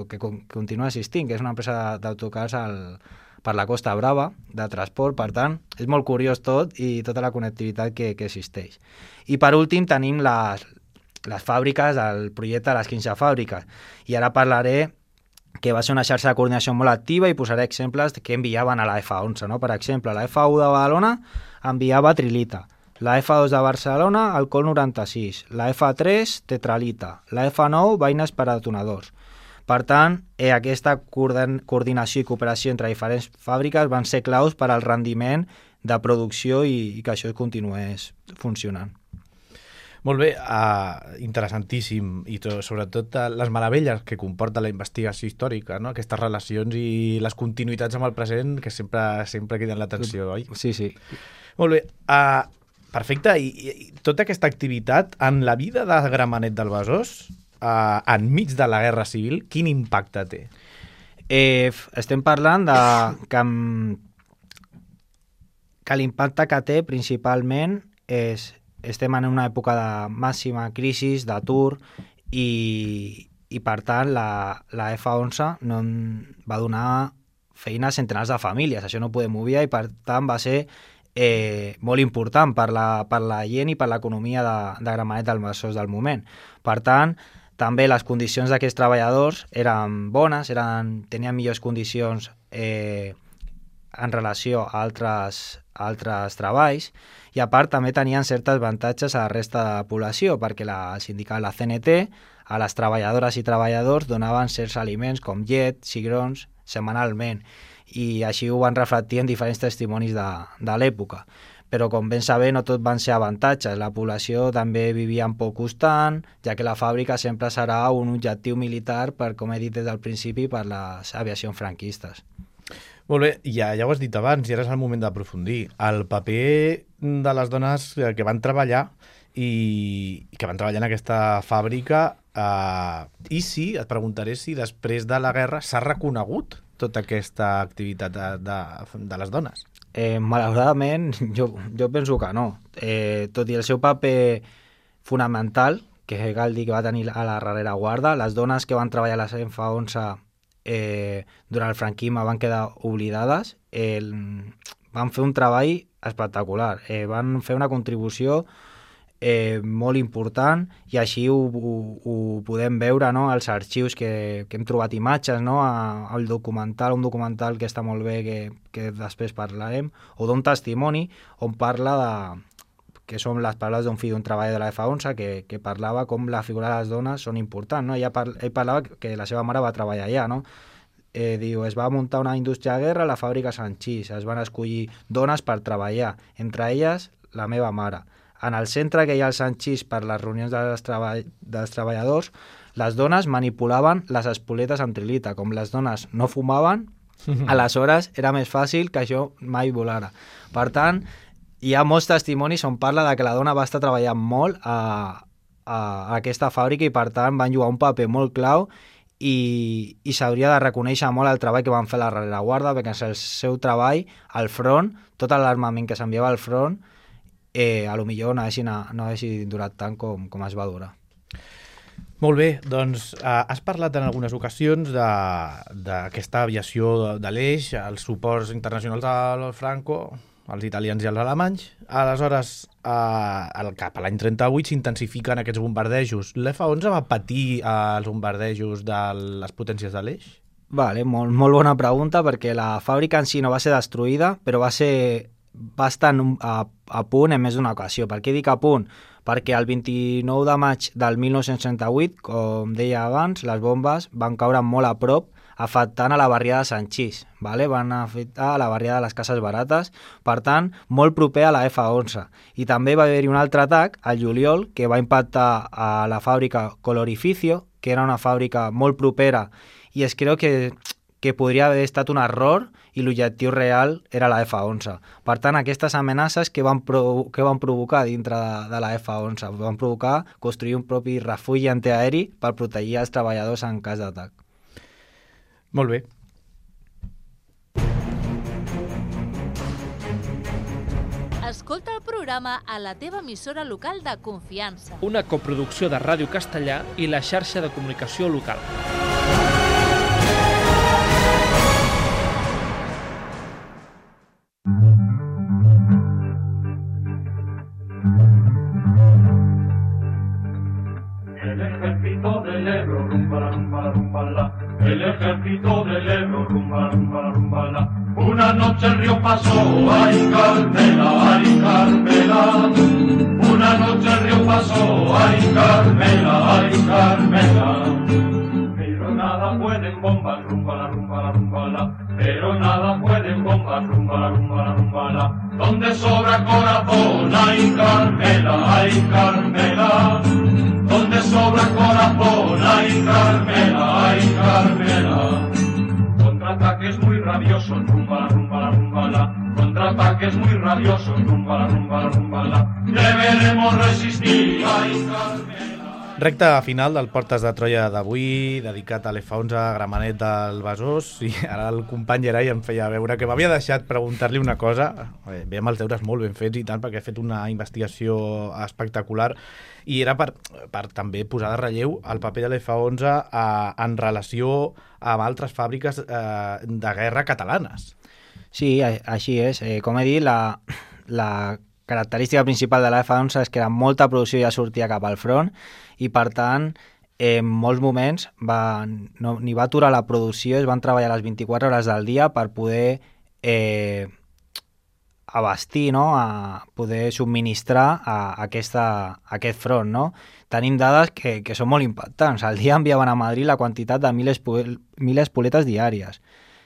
que continua existint, que és una empresa d'autocars per la Costa Brava, de transport. Per tant, és molt curiós tot i tota la connectivitat que existeix. I per últim tenim les fàbriques, el projecte de les 15 fàbriques. I ara parlaré que va ser una xarxa de coordinació molt activa i posaré exemples que enviaven a la F-11. No? Per exemple, la F1 de Badalona enviava trilita, la F2 de Barcelona, alcohol 96, la F3, tetralita, la F9, vaines per a detonadors. Per tant, aquesta coordinació i cooperació entre diferents fàbriques van ser claus per al rendiment de producció i que això continués funcionant. Molt bé, interessantíssim, i sobretot les meravelles que comporta la investigació històrica, no? Aquestes relacions i les continuïtats amb el present que sempre criden l'atenció, oi? Sí, sí. Molt bé, perfecte, i tota aquesta activitat en la vida de Gramenet del Besòs, enmig de la Guerra Civil, quin impacte té? Estem parlant que l'impacte que té principalment és estem en una època de màxima crisi, d'atur, i per tant la F-11 no va donar feines centenars de famílies, això no podem obviar, i per tant va ser molt important per la gent i per l'economia de Gramenet del Besòs del moment. Per tant, també les condicions d'aquests treballadors eren bones, tenien millors condicions en relació a altres treballs, i a part també tenien certes avantatges a la resta de la població, perquè la sindical, la CNT, a les treballadores i treballadors donaven certs aliments com llet, cigrons, setmanalment, i així ho van reflectir en diferents testimonis de l'època. Però com ben saber, no tot van ser avantatges. La població també vivia en por constant, ja que la fàbrica sempre serà un objectiu militar, com he dit des del principi, per les aviacions franquistes. Molt bé, ja ho has dit abans, i ara és el moment d'aprofundir. El paper de les dones que van treballar i que van treballar en aquesta fàbrica, i et preguntaré si després de la guerra s'ha reconegut tota aquesta activitat de les dones. Malauradament, jo penso que no. Tot i el seu paper fonamental, que cal dir que va tenir a la rereguarda, les dones que van treballar a la CENFA-11 durant el franquisme van quedar oblidades, van fer un treball espectacular, van fer una contribució molt important, i així ho podem veure, no?, als arxius que hem trobat imatges, no?, un documental que està molt bé, que després parlarem, o d'un testimoni on parla que són les paraules d'un fill d'un treballador de la F11 que parlava com la figura de les dones són importants, no? Ell parlava que la seva mare va treballar allà, no? Diu, es va muntar una indústria de guerra a la fàbrica Sanchís, es van escollir dones per treballar, entre elles la meva mare. En el centre que hi ha al Sanchís per les reunions dels treballadors, les dones manipulaven les espoletes amb trilita. Com les dones no fumaven, aleshores era més fàcil que això mai volara. Per tant, hi ha molts testimonis on parla de que la dona va estar treballant molt a aquesta fàbrica, i per tant van jugar un paper molt clau, i s'hauria de reconèixer molt el treball que van fer a la rereguarda, perquè el seu treball al front, tot l'armament que s'enviava al front, a lo millor no haguessin durat tant com es va durar. Molt bé, doncs has parlat en algunes ocasions d'aquesta aviació de l'Eix, els suports internacionals al Franco, els italians i els alemanys. Aleshores, cap a l'any 38 s'intensifiquen aquests bombardejos. L'F-11 va patir els bombardejos de les potències de l'Eix? Vale, molt bona pregunta, perquè la fàbrica en si no va ser destruïda, però va estar a punt en més d'una ocasió. Per què dic a punt? Perquè el 29 de maig del 1968, com deia abans, les bombes van caure molt a prop, afectant a la barriada de Sanchís, vale? Van afectar a la barriada de les Cases Barates, per tant, molt proper a la F-11. I també va haver-hi un altre atac, al juliol, que va impactar a la fàbrica Colorificio, que era una fàbrica molt propera, i es creu que podria haver estat un error i l'objectiu real era la F-11. Per tant, aquestes amenaces que van provocar dintre de la F-11? Van provocar construir un propi refugi antiaeri per protegir els treballadors en cas d'atac. Molt bé. Escolta el programa a la teva emissora local de confiança. Una coproducció de Ràdio Castellà i la xarxa de comunicació local. El ejército del Ebro, rumba, rumba, rumba, la. Una noche el río pasó, ay Carmela, ay Carmela. Una noche el río pasó, ay Carmela, ay Carmela. Pero nada pueden bombas, rumba, la, rumba, la, rumba, la. Pero nada pueden bombas, rumba, la, rumba, la, rumba, la. Donde sobra corazón, ay Carmela, ay Carmela. Donde sobra corazón, ay Carmela, ay Carmela. Contraataques muy rabiosos, rumba, rumba, rumba, la. Contraataques muy rabiosos, rumba, rumba, rumba, la. Deberemos resistir, ay Carmela. Recta final del Portes de Troia d'avui, dedicat a l'F11, Gramenet del Besòs, i ara el company Gerai em feia veure que m'havia deixat preguntar-li una cosa. Bé, amb els deures molt ben fets i tant, perquè he fet una investigació espectacular, i era per també posar de relleu el paper de l'F11 en relació amb altres fàbriques de guerra catalanes. Sí, així és. Com he dit, la característica principal de la F11 és que molta producció ja sortia cap al front i, per tant, en molts moments ni va aturar la producció, es van treballar les 24 hores del dia per poder abastir, no? A poder subministrar a aquest front. No? Tenim dades que són molt impactants. Al dia enviaven a Madrid la quantitat de 1.000 espoletes diàries,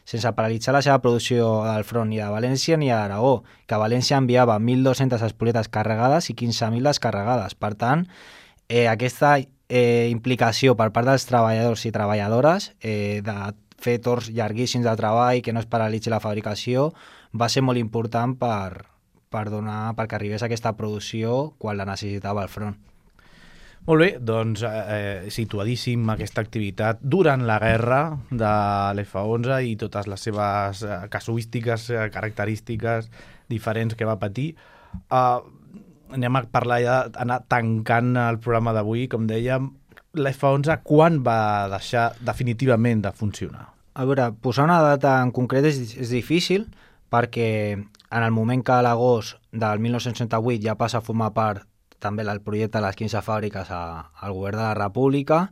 sense paralitzar la seva producció del front ni a València ni a Aragó, que a València enviava 1.200 espoletes carregades i 15.000 descarregades. Per tant, aquesta implicació per part dels treballadors i treballadores de fer torns llarguíssims de treball, que no es paralitzi la fabricació, va ser molt important perquè arribés aquesta producció quan la necessitava el front. Molt bé, doncs situadíssim aquesta activitat durant la guerra de l'F11 i totes les seves casuístiques, característiques diferents que va patir. Anem a parlar ja, anar tancant el programa d'avui, com dèiem. L'F11 quan va deixar definitivament de funcionar? A veure, posar una data en concret és difícil, perquè en el moment que a l'agost del 1968 ja passa a formar part també el projecte de les 15 fàbriques al govern de la República,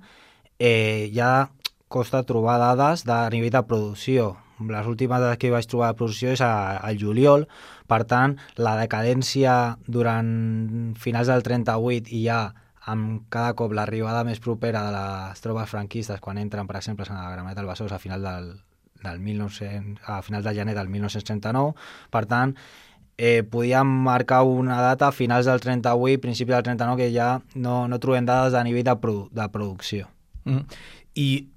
ja costa trobar dades de nivell de producció. Les últimes dades que vaig trobar de producció és al juliol, per tant, la decadència durant finals del 38 i ja amb cada cop l'arribada més propera de les tropes franquistes, quan entren, per exemple, a Gramenet del Besòs a finals a finals de gener del 1939, per tant, podíem marcar una data a finals del 38, principi del 39, que ja no trobem dades a nivell de producció. I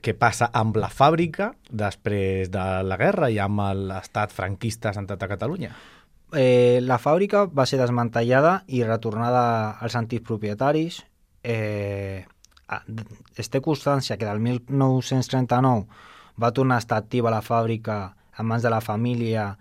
què passa amb la fàbrica després de la guerra i amb l'estat franquista assentat a Catalunya? La fàbrica va ser desmantellada i retornada als antics propietaris. Es té constància que del 1939 va tornar a estar activa la fàbrica en mans de la família,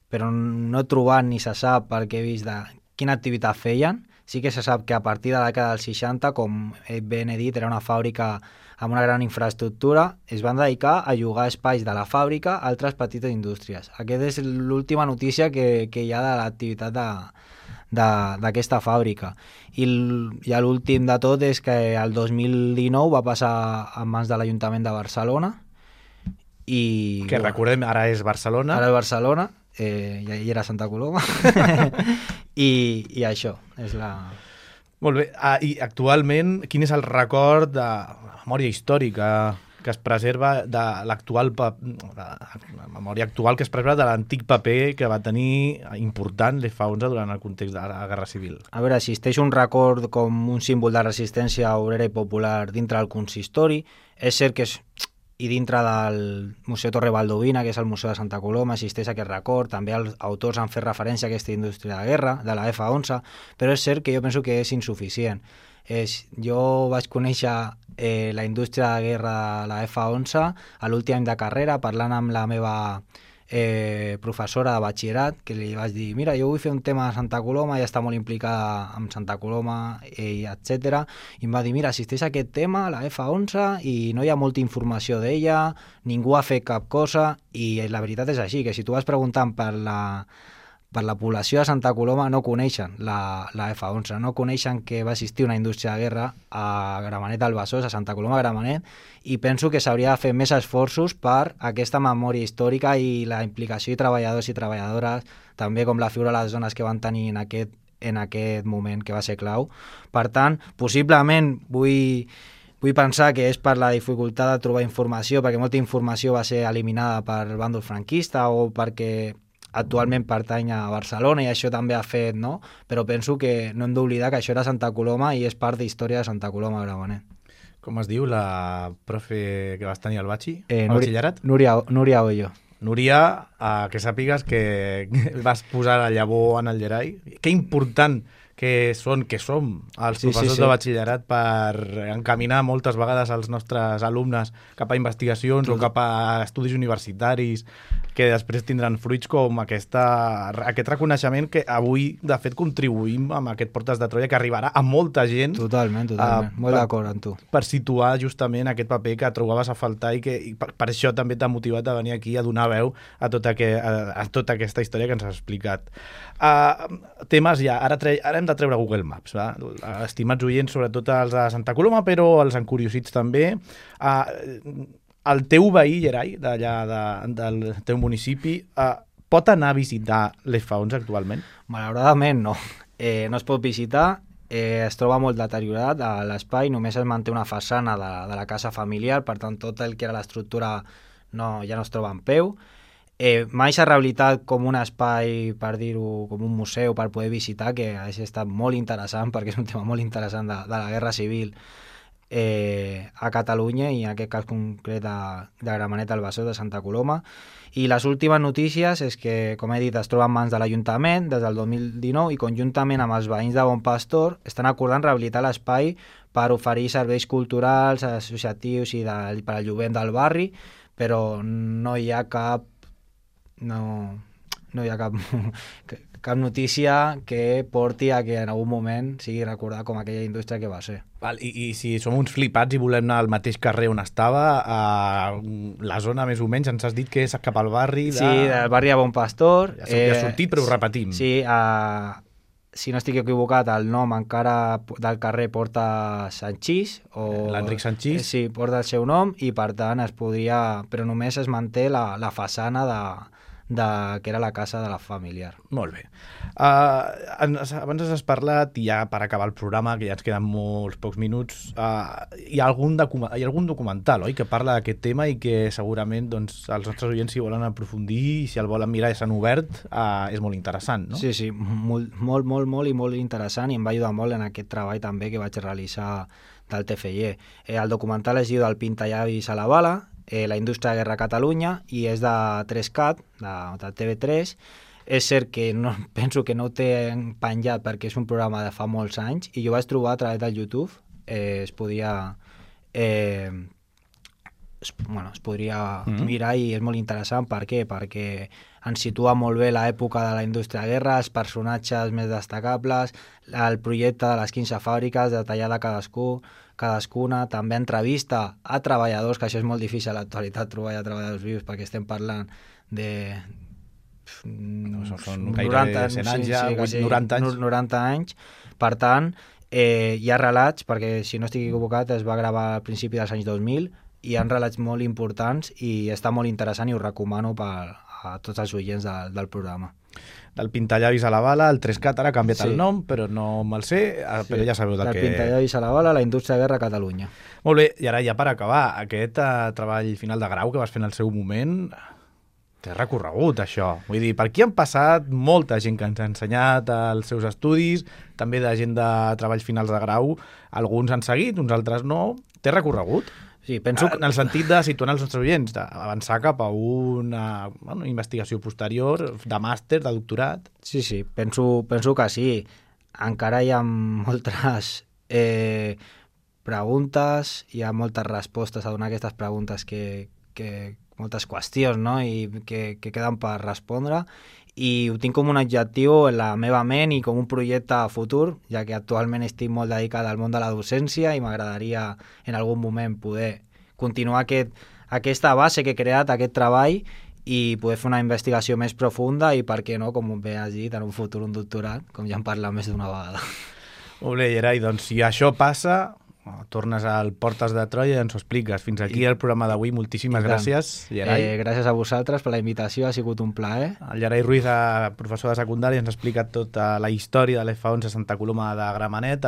però no he trobat ni se sap, perquè he vist de quina activitat feien. Sí que se sap que a partir de la dècada dels 60, com ben he dit, era una fàbrica amb una gran infraestructura, es van dedicar a llogar espais de la fàbrica a altres petites indústries. Aquesta és l'última notícia que hi ha de l'activitat d'aquesta fàbrica. I l'últim de tot és que el 2019 va passar en mans de l'Ajuntament de Barcelona. Que recordem, ara és Barcelona. Ara és Barcelona. Ja hi era Santa Coloma. I això és la... Molt bé. I actualment, quin és el record de memòria històrica que es preserva de l'actual la memòria actual que es preserva de l'antic paper que va tenir important l'F11 durant el context de la Guerra Civil? A veure, existeix un record com un símbol de resistència obrera i popular dintre del consistori. És cert que i dintre del Museu Torre Valdovina, que és el Museu de Santa Coloma, existeix aquest record. També els autors han fet referència a aquesta indústria de guerra, de la F11, però és cert que jo penso que és insuficient. Jo vaig conèixer la indústria de guerra de la F11 a l'últim any de carrera, parlant amb la meva professora de batxillerat, que li vaig dir, mira, jo vull fer un tema de Santa Coloma, ja està molt implicada amb Santa Coloma, etc. I em va dir, mira, existeix aquest tema, la F11, i no hi ha molta informació d'ella, ningú ha fet cap cosa, i la veritat és així, que si tu vas preguntant per la població de Santa Coloma no coneixen la F11, no coneixen que va existir una indústria de guerra a Gramenet del Besòs, a Santa Coloma Gramenet, i penso que s'hauria de fer més esforços per aquesta memòria històrica i la implicació de treballadors i treballadores, també com la figura de les dones que van tenir en aquest moment, que va ser clau. Per tant, possiblement vull pensar que és per la dificultat de trobar informació, perquè molta informació va ser eliminada per bàndol franquista o perquè actualment pertany a Barcelona i això també ha fet, no? Però penso que no hem d'oblidar que això era Santa Coloma i és part d'història de Santa Coloma Gramenet. Com es diu la profe que vas tenir al batxi? Al batxillerat? Núria Oyo. Núria, que sàpigues que vas posar la llavor en el Gerai. Que important que som els professors de batxillerat per encaminar moltes vegades els nostres alumnes cap a investigacions o cap a estudis universitaris que després tindran fruits com aquest reconeixement que avui, de fet, contribuïm amb aquest Portes de Troia que arribarà a molta gent. Totalment. Molt d'acord amb tu. Per situar justament aquest paper que trobaves a faltar i per això també t'ha motivat a venir aquí a donar veu a tota aquesta història que ens has explicat. Temes ja, ara hem de treure Google Maps, va? Estimats oients, sobretot els de Santa Coloma, però els encuriosits també. El teu veí, Gerai, d'allà del teu municipi, pot anar a visitar les faons actualment? Malauradament no. No es pot visitar, es troba molt deteriorat a l'espai, només es manté una façana de la casa familiar, per tant tot el que era l'estructura ja no es troba en peu. Mai s'ha rehabilitat com un espai, per dir-ho, com un museu per poder visitar, que ha estat molt interessant perquè és un tema molt interessant de la Guerra Civil a Catalunya i en aquest cas concret de Gramenet del Besòs de Santa Coloma. I les últimes notícies és que, com he dit, es troba en mans de l'Ajuntament des del 2019 i conjuntament amb els veïns de Bon Pastor estan acordant rehabilitar l'espai per oferir serveis culturals, associatius i per al jovent del barri, però no hi ha cap notícia que porti a que en algun moment sigui recordat com aquella indústria que va ser. I si som uns flipats i volem anar al mateix carrer on estava, la zona més o menys ens has dit que és cap al barri de... Sí, del barri de Bon Pastor. Ja ha sortit, però ho repetim. Sí, si no estic equivocat, el nom encara del carrer porta Sanchís. L'Enric Sanchís. Sí, porta el seu nom i per tant es podria... Però només es manté la façana que era la casa de la familiar. Molt bé. Abans has parlat, i ja per acabar el programa, que ja ens queden molts pocs minuts, hi ha algun documental, oi?, que parla d'aquest tema i que segurament els nostres oients, si volen aprofundir i si el volen mirar i s'han obert, és molt interessant, no? Sí, molt i molt interessant, i em va ajudar molt en aquest treball també que vaig realitzar del TFG. El documental es diu del Pintallavis a la bala, la indústria de guerra a Catalunya, i és de 3CAT, de TV3. És cert que penso que no ho té penjat perquè és un programa de fa molts anys, i jo vaig trobar a través del YouTube, es podria mirar i és molt interessant. Per què? Perquè ens situa molt bé l'època de la indústria de guerra, els personatges més destacables, el projecte de les 15 fàbriques, detallada cadascuna, també entrevista a treballadors, que això és molt difícil a l'actualitat trobar treballadors vius, perquè estem parlant de... Són gairebé 100 anys ja, 90 anys. Per tant, hi ha relats, perquè si no estic equivocat es va gravar al principi dels anys 2000, hi ha relats molt importants i està molt interessant i ho recomano a tots els oients del programa. Del Pintallavis a la bala, el 3CAT ara ha canviat el nom, però no me'l sé, però ja sabeu del que... Del Pintallavis a la bala, la indústria de guerra a Catalunya. Molt bé, i ara ja per acabar, aquest treball final de grau que vas fer en el seu moment, té recorregut això. Vull dir, per aquí han passat molta gent que ens ha ensenyat els seus estudis, també de gent de treballs finals de grau, alguns han seguit, uns altres no. Té recorregut? Sí, penso... En el sentit de situar els nostres oients, d'avançar cap a una investigació posterior, de màster, de doctorat. Sí, penso que sí. Encara hi ha moltes preguntes, hi ha moltes respostes a donar aquestes preguntes moltes qüestions, no?, i que queden per respondre, i ho tinc com un objectiu en la meva ment i com un projecte futur, ja que actualment estic molt dedicat al món de la docència i m'agradaria en algun moment poder continuar aquesta base que he creat, aquest treball, i poder fer una investigació més profunda i, per què no, com bé has dit, en un futur un doctorat, com ja hem parlat més d'una vegada. Molt bé, Gerai, doncs si això passa, tornes al Portes de Troia i ens ho expliques. Fins aquí el programa d'avui. Moltíssimes gràcies, Gerai. Gràcies a vosaltres per la invitació, ha sigut un plaer. El Gerai Ruiz, professor de secundària, ens ha explicat tota la història de l'F11 a Santa Coloma de Gramenet,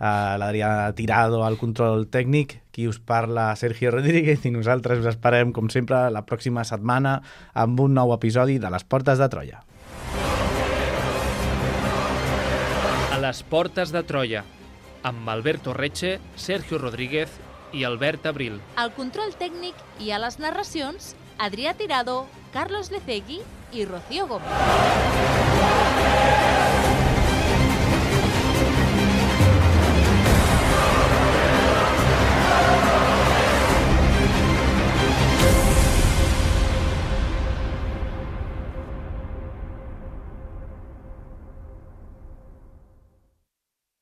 l'Adrià Tirado al control tècnic, qui us parla Sergio Rodríguez, i nosaltres us esperem, com sempre, la pròxima setmana amb un nou episodi de les Portes de Troia. A les Portes de Troia, amb Alberto Reche, Sergio Rodríguez i Albert Abril. Al control tècnic i a les narracions, Adrià Tirado, Carlos Lecegui i Rocío Gómez.